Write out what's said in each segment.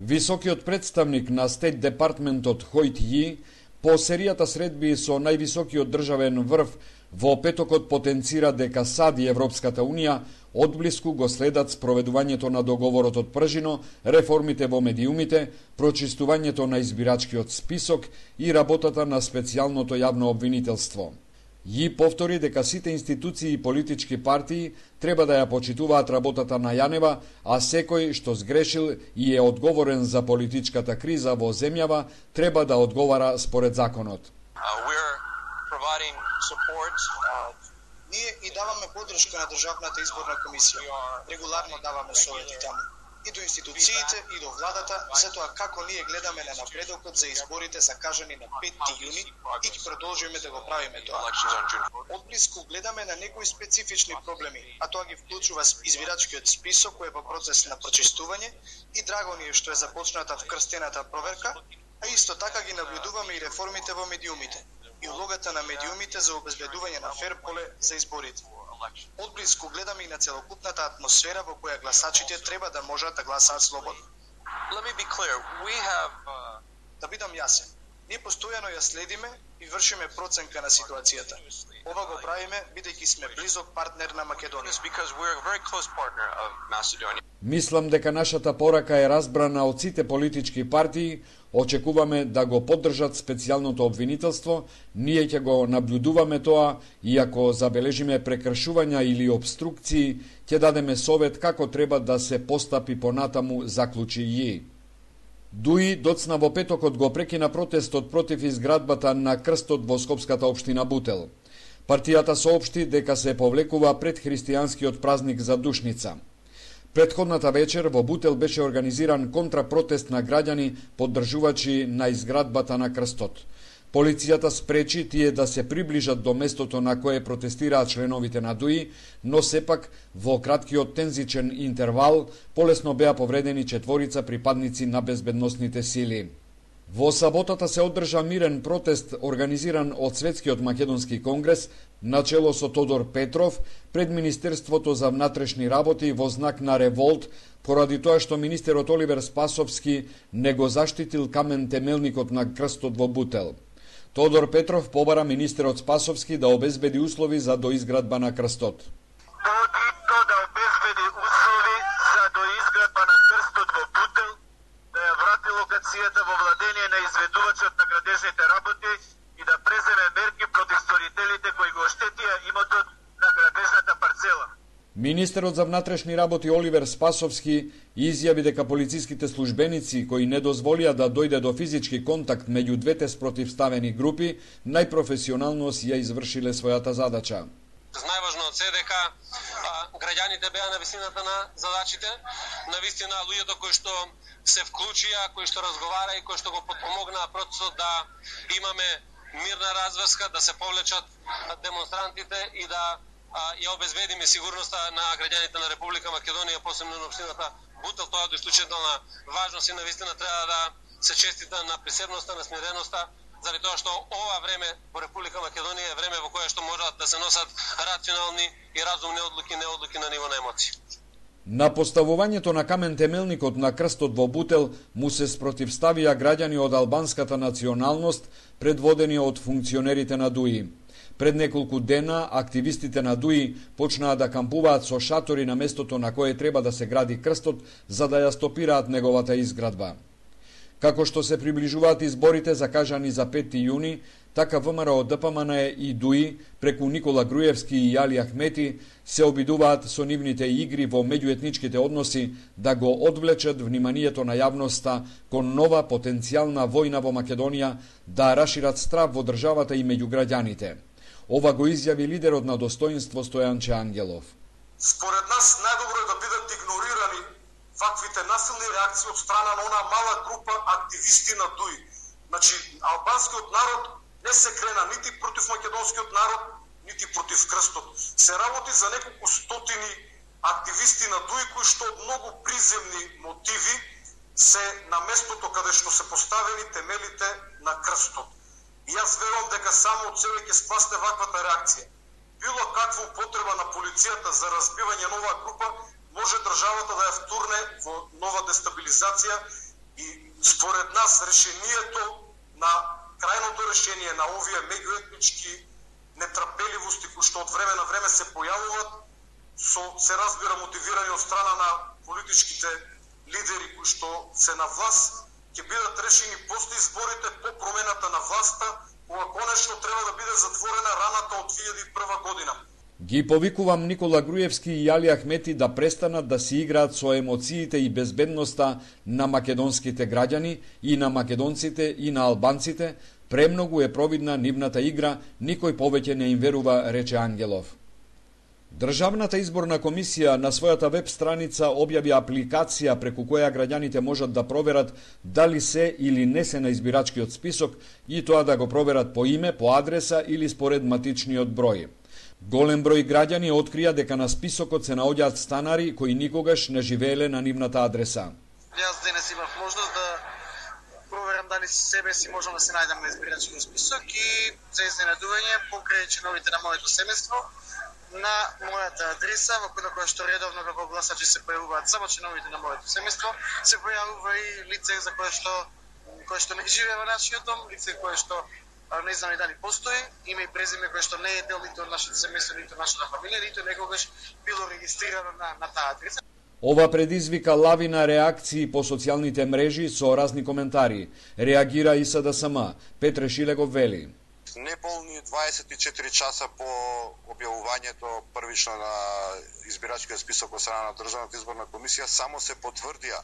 Високиот представник на Стейт Департментот Хојт Ји по серијата средби со највисокиот државен врв во петокот потенцира дека САД и Европската Унија одблиску го следат спроведувањето на договорот од Пржино, реформите во медиумите, прочистувањето на избирачкиот список и работата на специјалното јавно обвинителство. Ји повтори дека сите институции и политички партии треба да ја почитуваат работата на Јанева, а секој што сгрешил и е одговорен за политичката криза во земјава треба да одговара според законот. Ние и даваме подршка на Државната изборна комисија. Регуларно даваме совети таму. И до институциите, и до владата, за тоа како ние гледаме на напредокот за изборите закажани на 5 јуни и ќе продолжиме да го правиме тоа. Одблиску гледаме на некои специфични проблеми, а тоа ги вклучува избирачкиот список кој е во процес на прочистување и драго ни е што е започната вкрстената проверка, а исто така ги наблюдуваме и реформите во медиумите и улогата на медиумите за обезбедување на фер поле за изборите. Одблиску гледаме и на целокупната атмосфера во која гласачите треба да можат да гласаат слободно. Да бидам јасен, ние постојано ја следиме и вршиме проценка на ситуацијата. Ова го правиме бидејќи сме близок партнер на Македонија. Мислам дека нашата порака е разбрана од сите политички партии. Очекуваме да го поддржат специјалното обвинителство, ние ќе го наблюдуваме тоа и ако забележиме прекршувања или обструкции, ќе дадеме совет како треба да се постапи понатаму, заклучи Ји. Дуи доцна во петокот го прекина протестот против изградбата на крстот во Скопската општина Бутел. Партијата соопшти дека се повлекува пред христијанскиот празник за Душница. Претходната вечер во Бутел беше организиран контрапротест на граѓани поддржувачи на изградбата на крстот. Полицијата спречи тие да се приближат до местото на кое протестираат членовите на ДУИ, но сепак во краткиот тензичен интервал полесно беа повредени 4 припадници на безбедносните сили. Во саботата се одржа мирен протест организиран од Светскиот македонски конгрес начело со Тодор Петров пред Министерството за внатрешни работи во знак на револт поради тоа што министерот Оливер Спасовски не го заштитил камен темелникот на крстот во Бутел. Тодор Петров побара министерот Спасовски да обезбеди услови за доизградба на крстот. Во владение на изведувачот на градежните работи и да преземе мерки против сторителите кои го оштетија имотот на градежната парцела. Министерот за внатрешни работи Оливер Спасовски изјави дека полициските службеници кои не дозволија да дојде до физички контакт меѓу двете спротивставени групи, најпрофесионално си ја извршиле својата задача. Најважно од се дека граѓаните беа на висината на задачите, на вистина луѓето кои што се вклучија, кои што разговара и кои што го подпомогнаа процесот да имаме мирна разврска, да се повлечат демонстрантите и да ја обезбедиме сигурноста на граѓаните на Република Македонија, посебно на општината Бутел. Тоа е од исклучителна важност и навистина треба да се честита на присебноста, на смиреноста, заради тоа што ова време во Република Македонија е време во кое што можат да се носат рационални и разумни одлуки, не одлуки на ниво на емоции. На поставувањето на камен темелникот на крстот во Бутел му се спротивставија граѓани од албанската националност, предводени од функционерите на ДУИ. Пред неколку дена, активистите на ДУИ почнаа да кампуваат со шатори на местото на кое треба да се гради крстот, за да ја стопираат неговата изградба. Како што се приближуваат изборите закажани за 5 јуни, така ВМРО ДПМН и ДУИ преку Никола Груевски и Јали Ахмети се обидуваат со нивните игри во меѓуетничките односи да го одвлечат вниманието на јавноста кон нова потенцијална војна во Македонија, да рашират страв во државата и меѓу граѓаните. Ова го изјави лидерот на Достоинство Стојанче Ангелов. Според нас најдобро е да бидат игнорирани ваквите насилни реакции од страна на она мала група активисти на ДУИ. Значи, албанскиот народ не се крена нити против македонскиот народ, нити против крстот. Се работи за неколку стотини активисти на ДУИ кои што од многу приземни мотиви се на местото каде што се поставени темелите на крстот. И јас верувам дека само од себе ќе спасне ваквата реакција. Било каква употреба на полицијата за разбивање на оваа група може државата да ја втурне во нова дестабилизација И според нас решението на крајното решение на овие меѓуетнички нетрпеливости кои што од време на време се појавуваат, се разбира мотивирани од страна на политичките лидери кои што се на власт, ќе бидат решени после изборите, по промената на власта, кога конечно треба да биде затворена раната од 2001 година. Ги повикувам Никола Груевски и Јали Ахмети да престанат да си играат со емоциите и безбедноста на македонските граѓани и на македонците и на албанците. Премногу е провидна нивната игра, никој повеќе не им верува, рече Ангелов. Државната изборна комисија на својата веб страница објави апликација преку која граѓаните можат да проверат дали се или не се на избирачкиот список и тоа да го проверат по име, по адреса или според матичниот број. Голем број граѓани открија дека на списокот се наоѓаат станари кои никогаш не живееле на нивната адреса. Јас денес имав можност да проверам дали себе си можам да се најдам на избирачкиот список и за изненадување покрај чиновите на моето семејство на мојата адреса во која што редовно како гласачи се појавуваат само чиновите на моето семејство, се појавува и лице за кое што не живее во нашиот дом, лице кое што не знам и дали постои, име и презиме кое што не е дел ниту од нашето семејство, ниту од нашата фамилија, ниту некогаш било регистрирано на таа адреса. Ова предизвика лавина реакции по социјалните мрежи со разни коментари. Реагира и СДСМ. Петре Шилегов вели: Неполни 24 часа по објавувањето првично на избирачкиот список од страна на Државната изборна комисија само се потврдија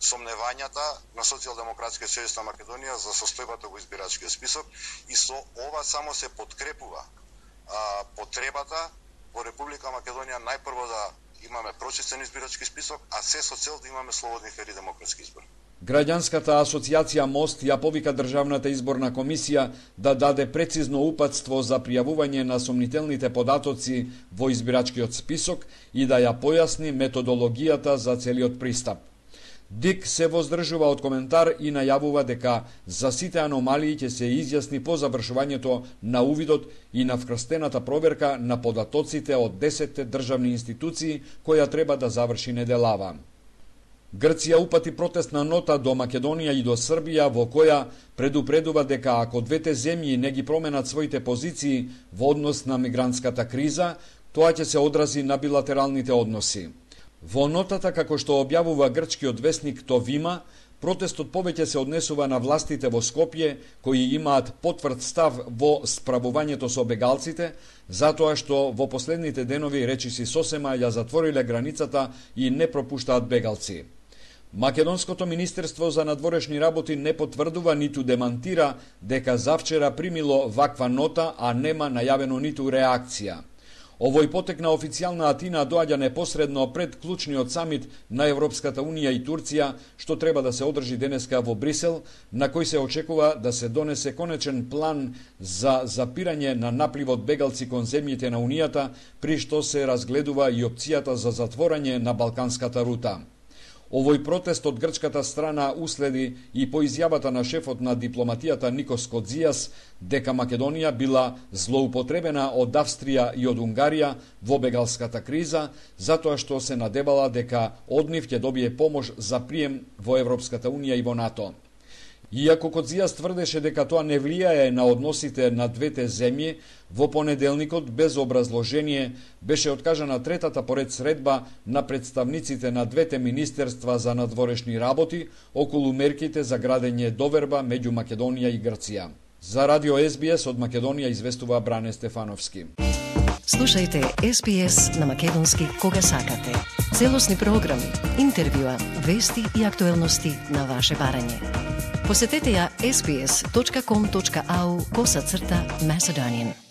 сомневањата на Социјалдемократскиот сојуз на Македонија за состојбата во избирачкиот список и со ова само се подкрепува потребата во Република Македонија најпрво да имаме прочистен избирачки список, а се со цел да имаме слободни фери демократски избори. Граѓанската асоцијација МОСТ ја повика Државната изборна комисија да даде прецизно упатство за пријавување на сомнителните податоци во избирачкиот список и да ја појасни методологијата за целиот пристап. ДИК се воздржува од коментар и најавува дека за сите аномалии ќе се изјасни по завршувањето на увидот и на вкрстената проверка на податоците од 10 државни институции која треба да заврши неделава. Грција упати протестна нота до Македонија и до Србија во која предупредува дека ако двете земји не ги променат своите позиции во однос на мигрантската криза, тоа ќе се одрази на билатералните односи. Во нотата, како што објавува грчкиот весник Товима, протестот повеќе се однесува на властите во Скопје, кои имаат потврд став во справувањето со бегалците, затоа што во последните денови речиси сосема ја затвориле границата и не пропуштаат бегалци. Македонското министерство за надворешни работи не потврдува ниту демантира дека завчера примило ваква нота, а нема најавено ниту реакција. Овој потек на официјална Атина доаѓа непосредно пред клучниот самит на Европската Унија и Турција, што треба да се одржи денеска во Брисел, на кој се очекува да се донесе конечен план за запирање на напливот бегалци кон земјите на Унијата, при што се разгледува и опцијата за затворање на Балканската рута. Овој протест од грчката страна уследи и по изјавата на шефот на дипломатијата Никос Кодзијас дека Македонија била злоупотребена од Австрија и од Унгарија во бегалската криза, затоа што се надевала дека од нив ќе добие помош за прием во Европската Унија и во НАТО. Иако Кодзијас тврдеше дека тоа не влијае на односите на двете земји, во понеделникот без образложение беше откажана третата поред средба на представниците на двете министерства за надворешни работи околу мерките за градење доверба меѓу Македонија и Грција. За Радио СБС од Македонија известува Бране Стефановски. Слушајте SBS на македонски кога сакате. Целосни програми, интервјуа, вести и актуелности на ваше барање. Посетете ја sbs.com.au/Macedonian.